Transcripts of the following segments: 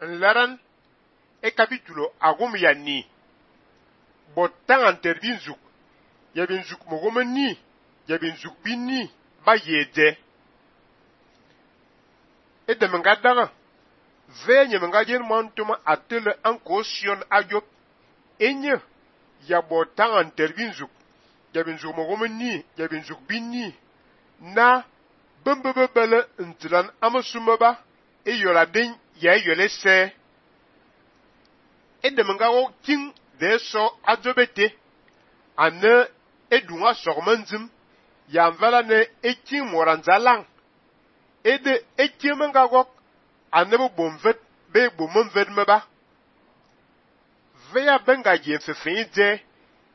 Nlaran e capítulo agum ya ni. Botan anter binzuk. Ya binzuk mogome ni. Ya binzuk bini ba yede. E de mengadara. Ve nye mengajen mantuma atele anko sion ayop. Enye ya botan anter binzuk. Ya binzuk mogome ni. Ya binzuk bini. Na bembebele ntilan amasumaba. E yola den ya yole se. E de mengawo king de so adobete. Ane edunga sormanzim. Ya mvala ne king moranzalang. E de king mengawok. Ane bo bomvet be bomvet meba. Veya benga jen fefenye de.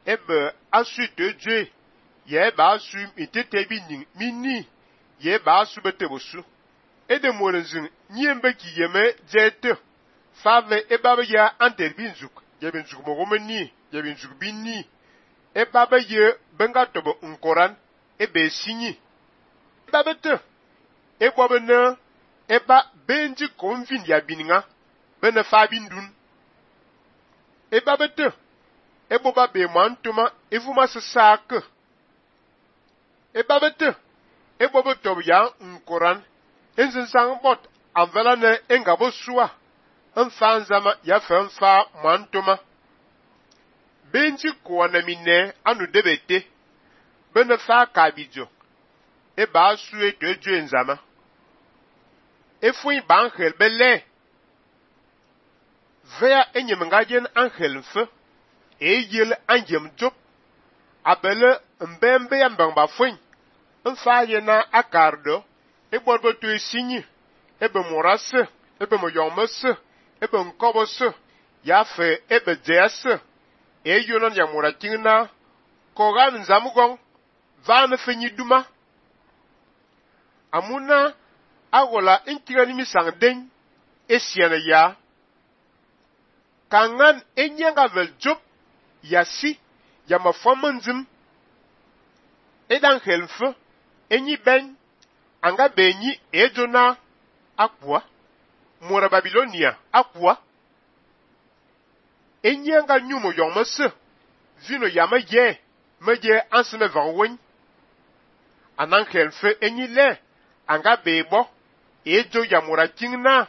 Ebe asu te dje. Ye eba asu itete bi mini. Ye eba asu bete bosu. E de morenzin nyembe ki yeme jete. Fave ebabe ya anter binzuk. Ye binzuk mogome ni. Ye binzuk bini. Ebabe ye benga tobo nkoran. Ebe sinyi. Ebabe te. Ebobe ne. Eba benji konvin ya bininga. Bene fabindun. Ebabe te. Eboba be mantuma. Evuma se sake. Ebabe te. Ebobe tobo ya nkoran. Enzin sang bot. Anvela ne engabo sua. Nfanzama ya fe nfa mantuma. Benji kwa na mine anu debete. Bene fa kabijo. Eba asu eto ejo enzama. Efui ba angel bele. Vea enyemengajen angel mfe. Eyel anjem job. Abele mbembe ya mbangba fui. Nfa yena akardo. Eborbo to esinyi. Ebe morase. Ebe moyomese. Ebe nkobose. Ya fe ebe jese. Eyonon ya moratingna. Kogan nzamugong. Vane fenyi duma. Amuna. Agola inkirani misang den. Esiana ya. Kangan enyanga vel job. Yasi. Ya mafomanzim. Edan helfe. Enyi ben. Anga benyi ejona. Akwa. Mora Babilonia. Akwa. Enyanga nyumo yomese. Vino yama ye. Meje anseme vanwen. Anan helfe enyi le. Anga bebo. Ejo ya mora kingna.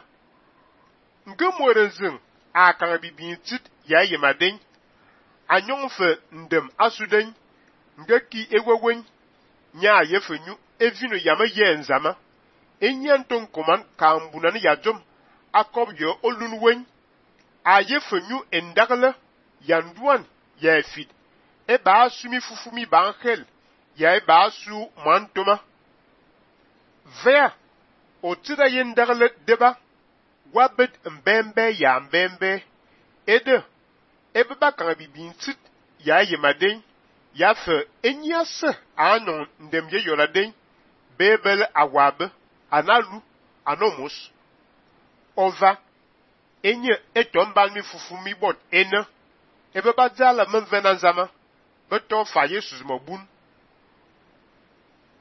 Nge morenzin. Akanga bibintit ya yemaden. Anyonfe ndem asuden. Nge ki ewewen. Nya yefenyu. Evino yama ye nzama. Enyanton koman kambunani ya jom. Akob yo olunwen. Ayefenyu endagle. Yanduan ya efid. Eba asu mi fufumi bankhel. Ya eba asu mantoma. Vea. Otida yendagle deba. Wabet mbembe ya mbembe. Ede. Ebe bakanga bibintit. Ya yemaden. Ya fe enyase. Anon ndemye yoladen. Bebele awabe. Analu. Anomos. Ova. Enye etombal mi fufumi bot ene. Ebe badzala menvenanzama. Beton fa Yesus mobun.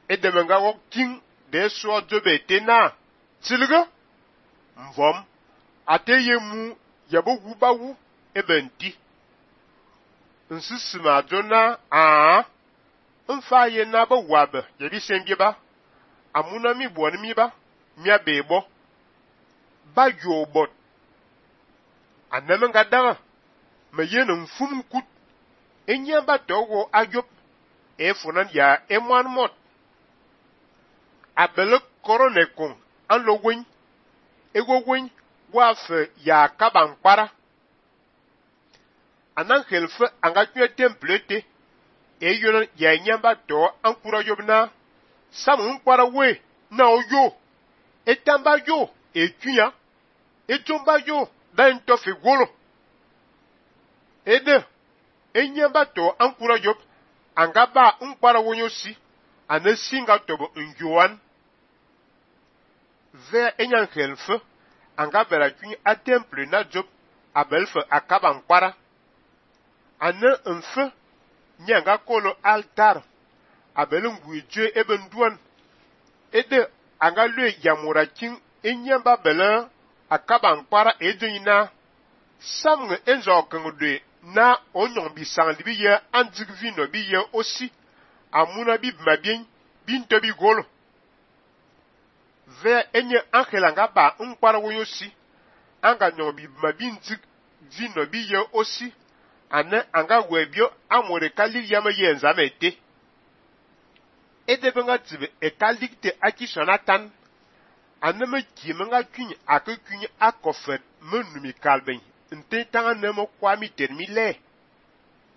Edemenga wok king. De so dobe tena. Tilge. Mvom. Ate yemu. Yabo wubawu. Ebe nti. Nsisima jona. Mfa ye na ba wabe. Yebi sembye ba. Amuna mi buwani mi ba. Mia bebo. Ba yobot. Anemenga dara. Me yen mfum kut. Enye ba togo ayop. Efonan ya emwan mot. Abele korone kong. Anlo wen. Ego wen. Wafe ya kabankpara. Anan helfe anga kwe templete. Eyonan ya nyamba to ankura yobna. Samu mkwara we. Na oyo. Etamba yo. Ekyunya. Etomba yo. Da entofi golo. Ede. Enyamba to ankura yob. Anga ba mkwara wonyo si. Ane singa tobo njuan. Ve enyan helfe. Anga bera kwenye a temple na job. Abelfe akaba mkwara. Ane mfe. Nyanga kolo altar. Abele ngwije eben duan. Ede anga lue yamura king. Enyamba bele. akaba nkpara edonyina samnge enzo kengde na onyon bisang libi ye andig vino bi ye aussi amuna bi mabien binto bi golo ve enye ankela nga ba nkpara woyosi anga nyon bi mabindig vino bi ye aussi ane anga webio amore kalil yama ye nzame ete edebe nga tibe ekalikte akishonatan ane me kime nga kunye ake kunye akofet menumi kalben nte tanga nemo kwami termile